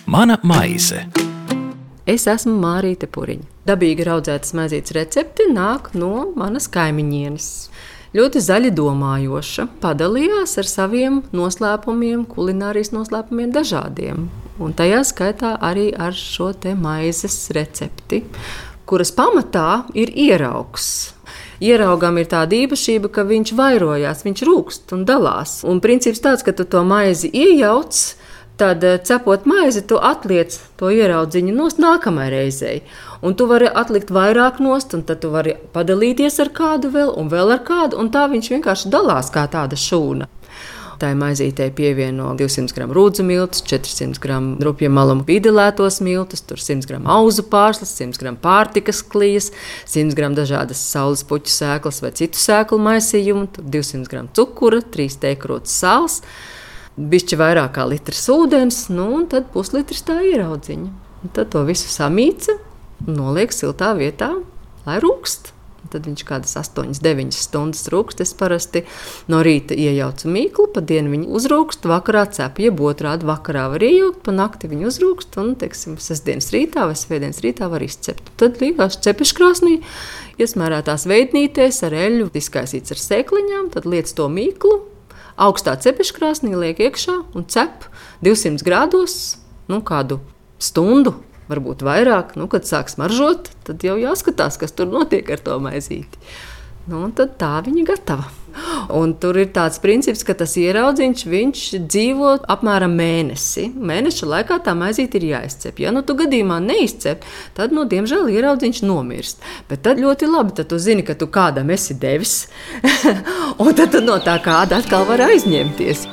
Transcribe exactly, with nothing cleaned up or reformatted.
Mana maize. Es esmu Mārīte Puriņa. Dabīgi raudzētas maizītes recepti nāk no manas kaimiņienes. Ļoti zaļi domājoša, padalījās ar saviem noslēpumiem, kulinārijas noslēpumiem dažādiem. Un tajā skaitā arī ar šo te maizes recepti, kuras pamatā ir ieraugs. Ieraugam ir tāda īpašība, ka viņš vairojās, viņš rūkst un dalās. Un princips tāds, ka tu to maizi iejauc, tad, cepot maizi, tu atliec to ieraudziņu nost nākamajai reizei. Un tu vari atlikt vairāk nost, un tad tu vari padalīties ar kādu vēl, un vēl ar kādu, un tā viņš vienkārši dalās kā tāda šūna. Tā maizītei pievieno divsimt gramu rūdzu miltus, četrsimt gramu rupja maluma pīdelētos miltus, tur simt gramu auzu pārslas, simt gramu pārtikas klijas, simt gramu dažādas saules puķu sēklas vai citu sēklu maisījumu, tur divsimt gramu cukura, trīs teikrotas sāls, bišķi vairāk kā litrs ūdens, nu un tad puslitrs tā ieraudziņa. Un tad to visu samīca un noliek siltā vietā, lai rūkst. Un tad viņš kādas astoņas deviņas stundas rūkst. Es parasti no rīta iejaucu mīklu, pa dienu viņu uzrūkst, vakarā cep, jeb otrādi vakarā var iejaukt, pa nakti viņu uzrūkst un, teiksim, sestdienas rītā vai svētdienas rītā var izcept. Tad līgās cepeškrāsnī, iesmērētās veidnītēs ar eļļu, izkaisīts ar sēkliņām, tad liec to mīklu, augstā cepeškrāsnī liek iekšā un cep divsimt grādos, nu kādu stundu, varbūt vairāk. Nu, kad sāk smaržot, tad jau jāskatās, kas tur notiek ar to maizīti. Nu, un tad tā viņa gatava. Un tur ir tāds princips, ka tas ieraudziņš, viņš dzīvo apmēram mēnesi. Mēneša laikā tā maizīte ir jāizcep. Ja nu tu gadījumā neizcep, tad, nu, diemžēl, ieraudziņš nomirst. Bet tad ļoti labi, tad tu zini, ka tu kādam esi devis, un tad tu no tā kāda atkal var aizņemties.